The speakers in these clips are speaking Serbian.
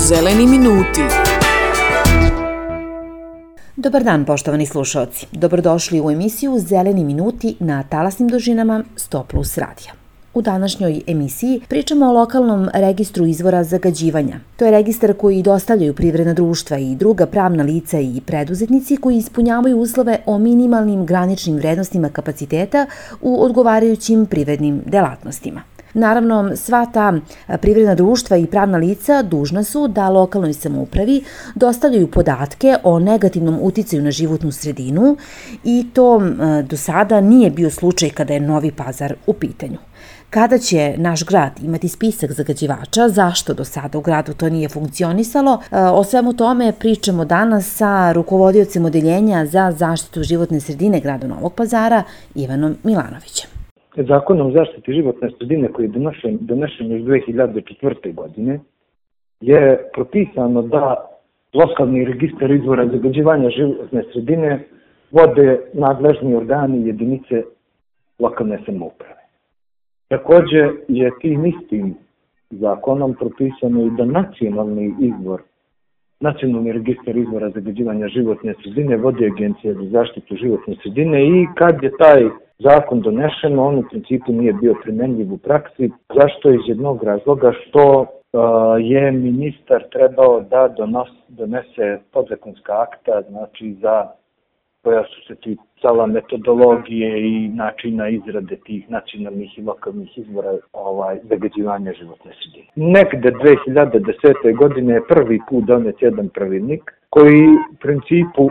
Zeleni minuti. Dobar dan, poštovani slušaoci. Dobrodošli u emisiju Zeleni minuti na talasnim dužinama 100+ radija. U današnjoj emisiji pričamo o lokalnom registru izvora zagađivanja. To je registar koji dostavljaju privredna društva i druga pravna lica i preduzetnici koji ispunjavaju uslove o minimalnim graničnim vrednostima kapaciteta u odgovarajućim privrednim delatnostima. Naravno, sva ta privredna društva i pravna lica dužna su da lokalnoj samoupravi dostavljaju podatke o negativnom uticaju na životnu sredinu i to do sada nije bio slučaj kada je Novi Pazar u pitanju. Kada će naš grad imati spisak zagađivača, zašto do sada u gradu to nije funkcionisalo? O svemu tome pričamo danas sa rukovodiocem odeljenja za zaštitu životne sredine grada Novog Pazara, Ivanom Milanovićem. Zakonom o zaštiti životne sredine koji je donešen još 2004. godine je propisano da lokalni registar izvora zagađivanja životne sredine vode nadležni organi jedinice lokalne samouprave. Takođe je tim istim zakonom propisano i da nacionalni registar izvora zagađivanja životne sredine vodi Agencija za zaštitu životne sredine i kad je taj zakon donešen, on u principu nije bio primenljiv u praksi. Zašto? Iz jednog razloga što je ministar trebao da donese podzakonska akta, znači koja su se ticala metodologije i načina izrade tih nacionalnih i lokalnih izvora zagađivanja životne sredine. Negde 2010. godine je prvi put donet jedan pravilnik koji u principu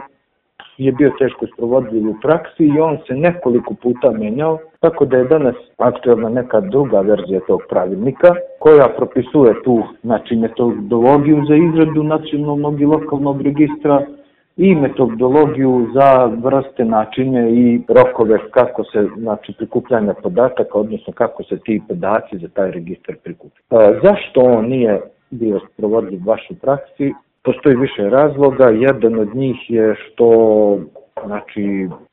je bio teško sprovodljiv u praksi i on se nekoliko puta menjao, tako da je danas aktuelna neka druga verzija tog pravilnika koja propisuje tu metodologiju za izradu nacionalnog i lokalnog registra i metodologiju za vrste, načine i rokove kako se prikupljanja podataka, odnosno kako se ti podaci za taj registar prikupljaju. Zašto on nije bio sprovodljiv baš u praksi? Postoji više razloga. Jedan od njih je što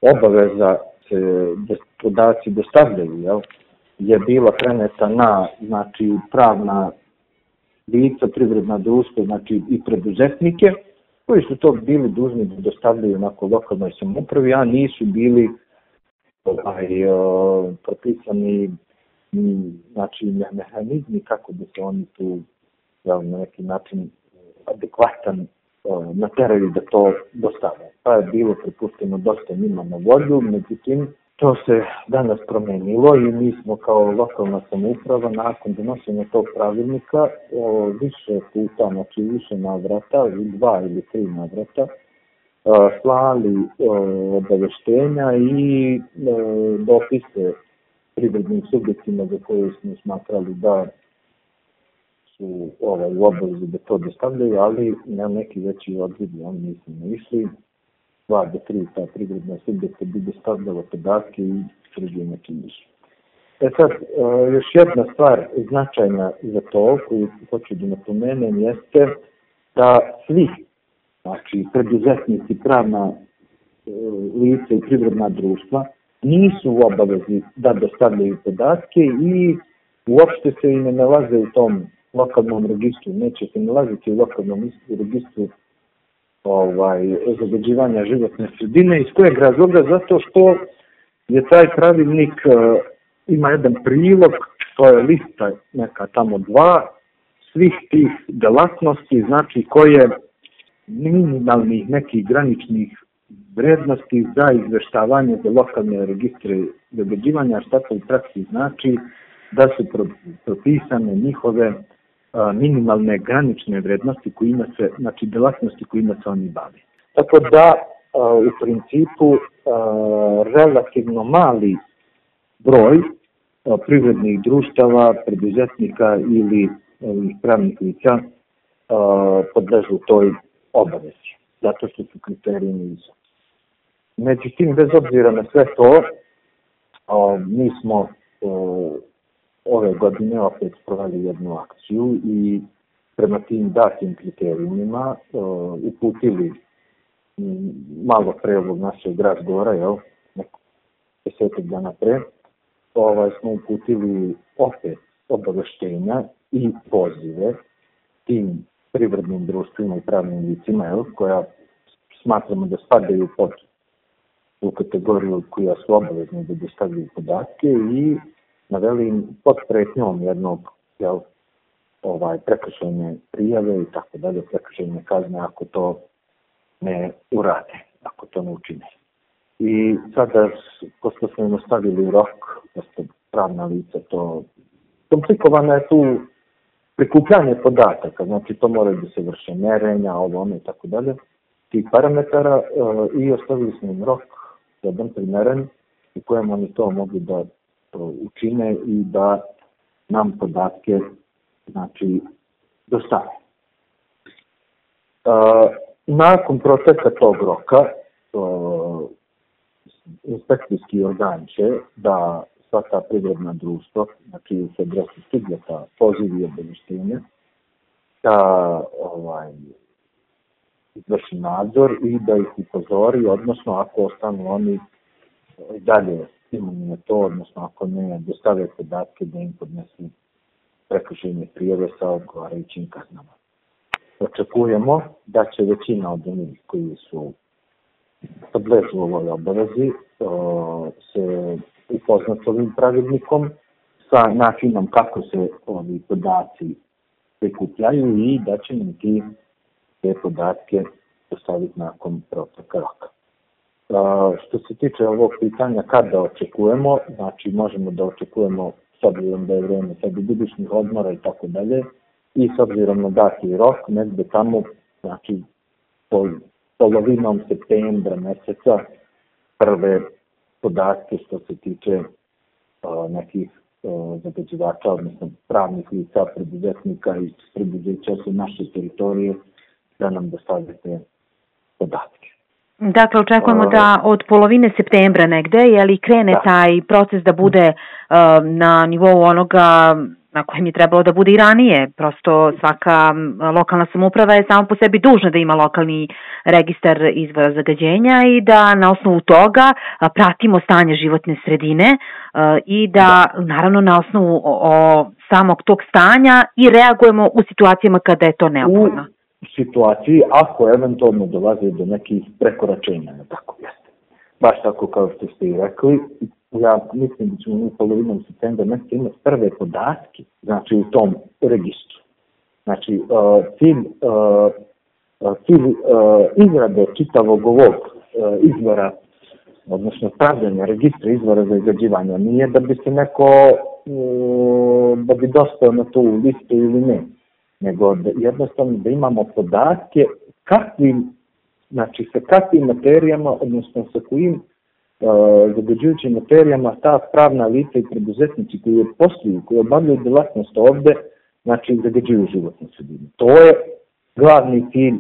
obaveza se da podaci dostavljaju je bila preneta na pravna lica, privredna društva i preduzetnike koji su to bili dužni da dostavljaju lokalnoj samoupravi, a nisu bili propisani mehanizmi kako bi se oni tu na neki način adekvatan nateraju da to dostave. Pa je bilo prepušteno dosta njima na volju, međutim to se danas promenilo i mi smo kao lokalna samouprava nakon donošenja tog pravilnika više puta, više navrata, 2 ili 3 navrata, slali obaveštenja i dopise privrednim subjektima za koje smo smatrali da u obavezi da to dostavljaju, ali na neki veći odvidi oni nisu išli. 2 do 3 ta privredna subjekta bi dostavljala podatke i drugi neki nisu. Sad, još jedna stvar značajna za to koju hoću da napomenem jeste da svi, preduzetnici, pravna lica i privredna društva nisu u obavezi da dostavljaju podatke i uopšte se i ne nalaze u tom lokalnom registru, neće se nalaziti u lokalnom registru zagađivanja životne sredine. Iz kojeg razloga? Zato što je taj pravilnik ima jedan prilog, to je lista neka tamo 2, svih tih delatnosti, koje minimalnih nekih graničnih vrednosti za izveštavanje za lokalne registre zagađivanja, šta to u praksi znači da su propisane njihove minimalne granične vrednosti kojima se, delatnosti kojima se oni bave. Tako da, u principu, relativno mali broj privrednih društava, preduzetnika ili pravnih lica podležu toj obavezi, zato što su kriterijumi visoki. Međutim, bez obzira na sve to, mi smo ove godine opet sproveli jednu akciju i prema tim datim kriterijumima uputili malo pre ovog našeg razgovora, 10 dana pre, smo uputili opet obaveštenja i pozive tim privrednim društvima i pravnim licima, koja smatramo da spadaju pod u kategoriju koja su obavezni da dostavljaju podatke i naveli im pod pretnjom jednog prekršajne prijave i tako dalje, prekršajne kazne ako to ne urade, ako to ne učine. I sada, pošto smo im ostavili rok, pošto pravna lica to komplikovano je tu prikupljanje podataka, znači to moraju da se vrše merenja, ono i tako dalje, tih parametara i ostavili smo im rok jedan primeren u kojem oni to mogli da učine i da nam podatke znači dostave. Nakon proteka tog roka inspekcijski organ će da sva ta privredna društva, znači se adresi subjekta, pozivi i obaveštenja, da izvrši nadzor i da ih upozori, odnosno ako ostanu oni dalje imuni na to, odnosno ako ne dostave podatke da im podnesu prekršajne prijave sa odgovarajućim kaznama. Očekujemo da će većina od onih koji su podležu ovoj obavezi se upoznati s ovim pravilnikom, sa načinom kako se ovi podaci prikupljaju i da će nam te podatke dostaviti nakon proteka roka. Što se tiče ovog pitanja kada očekujemo, znači možemo da očekujemo s obzirom da je vreme srednjogodišnjih odmora i tako dalje i s obzirom na dati rok, negde tamo, znači polovinom septembra meseca prve podatke što se tiče nekih zagađivača, odnosno pravnih lica, preduzetnika i preduzeća su naše teritorije da nam dostavite podatke. Dakle, očekujemo da od polovine septembra negde, krene taj proces da bude na nivou onoga na kojem je trebalo da bude i ranije. Prosto svaka lokalna samouprava je samo po sebi dužna da ima lokalni registar izvora zagađenja i da na osnovu toga pratimo stanje životne sredine i da naravno na osnovu samog tog stanja i reagujemo u situacijama kada je to neophodno. U situaciji ako eventualno dolazi do nekih prekoračenja, tako jeste. Baš tako kao što ste i rekli, ja mislim da ćemo u polovinom septembra meseca imati prve podatke, znači u tom registru. Znači, cilj izrade čitavog ovog izvora, odnosno stavljanja registra izvora za zagađivanja nije da bi se neko, da bi dostao na tu listu ili ne, nego jednostavno da imamo podatke sa kakvim materijama, odnosno sa kojim zagađujućim materijama ta pravna lica i preduzetnici koji posluju, koji obavljaju delatnost ovde, znači zagađuju životnu sredinu. To je glavni cilj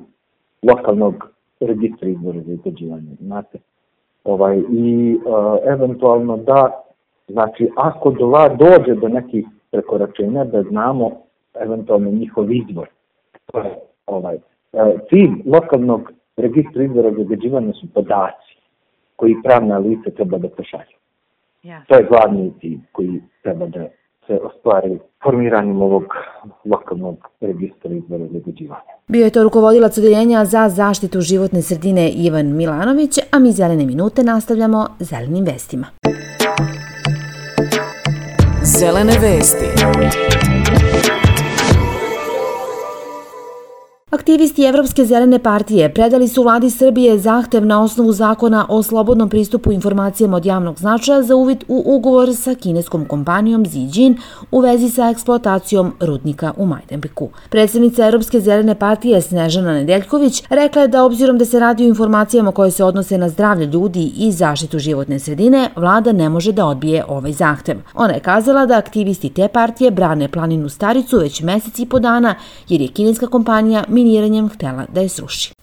lokalnog registra izvora za zagađivanje, znate. I eventualno da, znači ako dođe do nekih prekoračenja, da znamo eventualno njihov izvor. Cilj lokalnog registra izvora zagađivanja su podaci koji pravna lica treba da pošalju. To je glavni cilj koji treba da se ostvari formiranjem ovog lokalnog registra izvora zagađivanja. Bio je to rukovodilac Odeljenja za zaštitu životne sredine Ivan Milanović, a mi Zelene minute nastavljamo zelenim vestima. Zelene vesti. Aktivisti Evropske zelene partije predali su vladi Srbije zahtev na osnovu zakona o slobodnom pristupu informacijama od javnog značaja za uvid u ugovor sa kineskom kompanijom Zijin u vezi sa eksploatacijom rudnika u Majdanpeku. Predsednica Evropske zelene partije Snežana Nedeljković rekla je da obzirom da se radi o informacijama koje se odnose na zdravlje ljudi i zaštitu životne sredine, vlada ne može da odbije ovaj zahtev. Ona je kazala da aktivisti te partije brane planinu Staricu već mesec i po dana jer je kineska kompanija miniranjem htela da je sruši.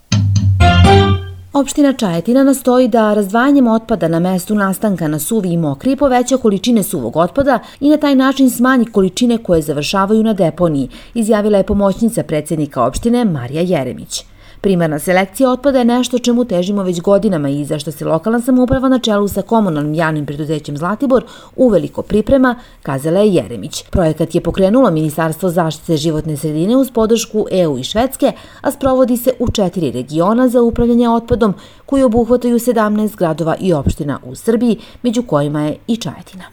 Opština Čajetina nastoji da razdvajanjem otpada na mestu nastanka na suvi i mokri poveća količine suvog otpada i na taj način smanji količine koje završavaju na deponiji, izjavila je pomoćnica predsednika opštine Marija Jeremić. Primarna selekcija otpada je nešto čemu težimo već godinama i za što se lokalna samouprava na čelu sa komunalnim javnim preduzećem Zlatibor uveliko priprema, kazala je Jeremić. Projekat je pokrenulo Ministarstvo zaštite životne sredine uz podršku EU i Švedske, a sprovodi se u 4 regiona za upravljanje otpadom koji obuhvataju 17 gradova i opština u Srbiji, među kojima je i Čajetina.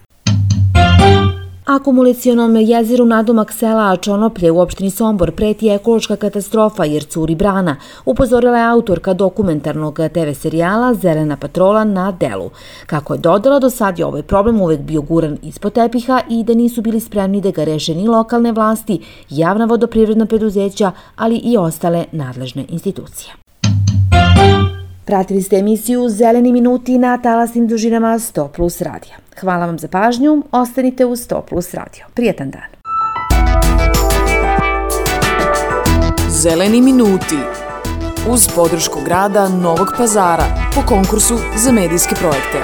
Akumulacionom jezeru nadomak sela Čonoplje u opštini Sombor preti ekološka katastrofa jer curi brana, upozorila je autorka dokumentarnog TV serijala Zelena patrola na delu. Kako je dodala, do sad je ovaj problem uvek bio guran ispod tepiha i da nisu bili spremni da ga reše ni lokalne vlasti, javna vodoprivredna preduzeća, ali i ostale nadležne institucije. Pratili ste emisiju Zeleni minuti na talasnim dužinama 100+ radija. Hvala vam za pažnju, ostanite uz 100+ radio. Prijetan dan. Zeleni minuti uz podršku grada Novog Pazara po konkursu za medijske projekte.